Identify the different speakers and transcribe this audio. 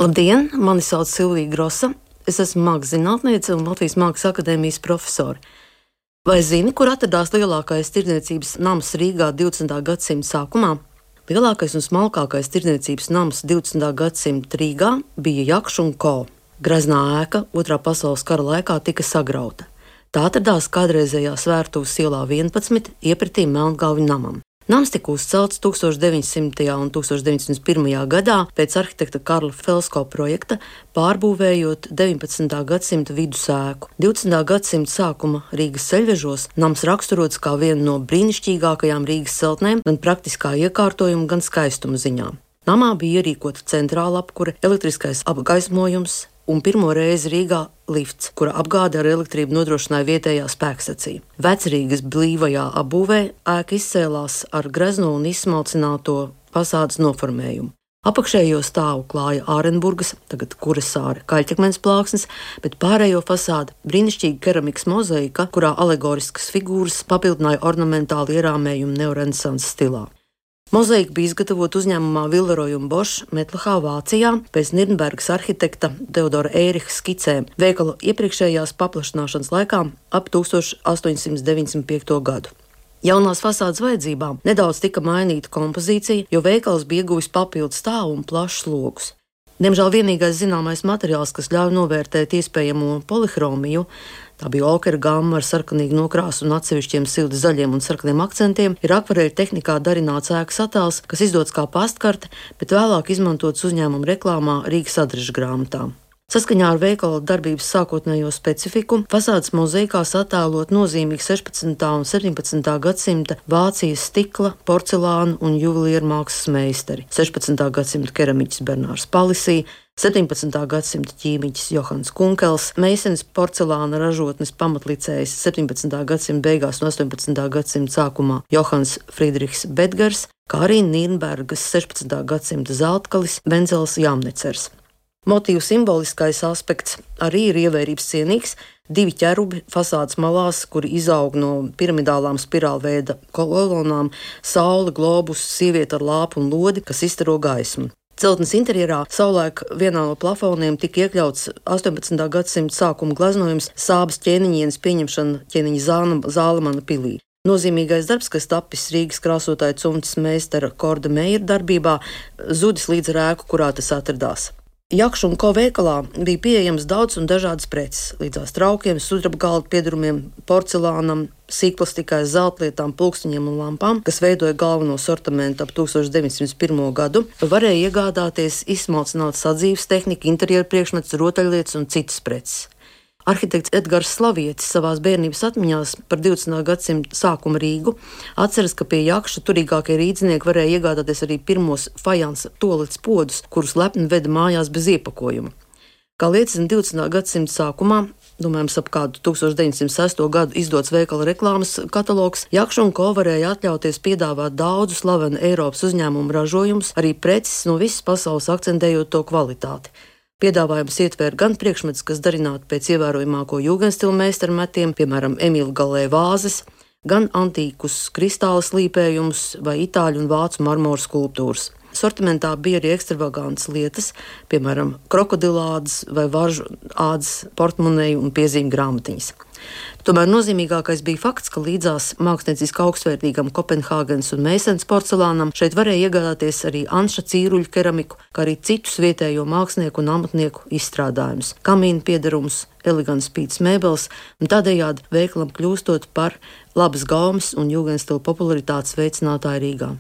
Speaker 1: Labdien, mani sauc Silvija Grosa. Es esmu mākslas zinātniece un Latvijas Mākslas akadēmijas profesore. Vai zini, kur atradās lielākais tirdzniecības nams Rīgā 20. gadsimta sākumā? Lielākais un smalkākais tirdzniecības nams 20. gadsimta Rīgā bija Jakšu & Co. Greznā ēka Otrā pasaules kara laikā tika sagrauta. Tā atradās kādreizējā Svērtuves ielā 11, iepratī Melngalvju namam. Nams tika uzcelts 1900. un 1901. gadā pēc arhitekta Karla Felsko projekta, pārbūvējot 19. gadsimta vidus ēku. 20. gadsimta sākuma Rīgas ceļvežos nams raksturots kā viena no brīnišķīgākajām Rīgas celtnēm gan praktiskā iekārtojuma, gan skaistuma ziņā. Namā bija ierīkota centrāla apkure, elektriskais apgaismojums un pirmo reizi Rīgā lifts, kura apgāde ar elektrību nodrošināja vietējā spēkstacija. Vecrīgas blīvajā apbūvē ēka izcēlās ar grezno un izsmalcināto fasādes noformējumu. Apakšējo stāvu klāja Ārenburgas, tagad Kuresāra kaļķakmens plāksnes, bet pārējo fasādi brīnišķīga keramikas mozaika, kurā alegoriskas figūras papildināja ornamentāli ierāmējumu neorenesanses stilā. Mozaika bija izgatavota uzņēmumā Villeroy & Bosch Metlahā, Vācijā, pēc Nirnbergas arhitekta Teodora Ēriha skicēm veikala iepriekšējās paplašināšanas laikā ap 1895. gadu. Jaunās fasādes vajadzībām nedaudz tika mainīta kompozīcija, jo veikals bija ieguvis papildu stāvu un plašus logus. Diemžēl vienīgais zināmais materiāls, kas ļauj novērtēt iespējamo polihromiju, tā bija okera gamma ar sarkanīgu nokrāsu un atsevišķiem silti zaļiem un sarkaniem akcentiem, ir akvareļu tehnikā darināts ēkas attēls, kas izdots kā pastkarte, bet vēlāk izmantots uzņēmuma reklāmā Rīgas adrešu grāmatā. Saskaņā ar veikala darbības sākotnējo specifiku, fasādes mozaikās attēlot nozīmīgi 16. un 17. gadsimta Vācijas stikla, porcelāna un juvelieru mākslas meistari, 16. gadsimta keramiķis Bernārs Palisī, 17. gadsimta ķīmiķis Johans Kunkels, Meisenes porcelāna ražotnes pamatlicējs 17. gadsimta beigās un 18. gadsimta sākumā Johans Friedrichs Bedgers, kā arī Nirnbergas 16. gadsimta zeltkalis Venzels Jāmnecers. Motīvu simboliskais aspekts arī ir ievērības cienīgs. Divi ķerubi fasādes malās, kuri izaug no piramidālām spirālveida kolonām, saule, globus, sieviete ar lāpu un lodi, kas izstaro gaismu. Celtnes interjerā savulaik vienā no plafoniem tika iekļauts 18. gadsimta sākuma gleznojums Sābas ķēniņienes pieņemšana ķēniņa Zālemana pilī. Nozīmīgais darbs, kas tapis Rīgas krāsotāja cumtas meistara Korda Meijera darbībā, zudis līdz ar ēku, kurā tas atradās. Jakšu & Co veikalā bija pieejams daudz un dažādas preces, līdzās traukiem, sudraba galda piedarumiem, porcelānam, sīkplastikai, zeltlietām, pulksteņiem un lampām, kas veidoja galveno sortimentu ap 1901. gadu, varēja iegādāties izsmalcinātu sadzīves tehniku, interjeru priekšmetus, rotaļlietas un citas preces. Arhitekts Edgars Slavietis savās bērnības atmiņās par 20. gadsimta sākuma Rīgu atceras, ka pie Jakša turīgākie rīdznieki varēja iegādāties arī pirmos fajansa toaletes podus, kurus lepni veda mājās bez iepakojuma. Kā liecina 20. gadsimta sākumā, domājams ap kādu 1906. gadu izdots veikala reklāmas katalogs, Jakšu & Co varēja atļauties piedāvāt daudzu slavenu Eiropas uzņēmumu ražojumus, arī preces no visas pasaules akcentējot to kvalitāti. Piedāvājums ietvēra gan priekšmetus, kas darināti pēc ievērojamāko jūgenstilu meistaru metiem, piemēram, Emīla Galē vāzes, gan antīkus kristāla slīpējumus vai itāļu un vācu marmora skulptūras. Sortimentā bija arī ekstravagantas lietas, piemēram, krokodilādes vai varžu ādas portmoneju un piezīmju grāmatiņas. Tomēr nozīmīgākais bija fakts, ka līdzās mākslinieciski augstvērtīgam Kopenhāgenes un Meisenes porcelānam šeit varēja iegādāties arī Anša Cīruļa keramiku, kā arī citus vietējo mākslinieku un amatnieku izstrādājumus, kamīnu piedarumus, elegants spītas mēbeles, un tādējādi veikalam kļūstot par labas gaumes un jūgenstila popularitātes veicinātāju Rīgā.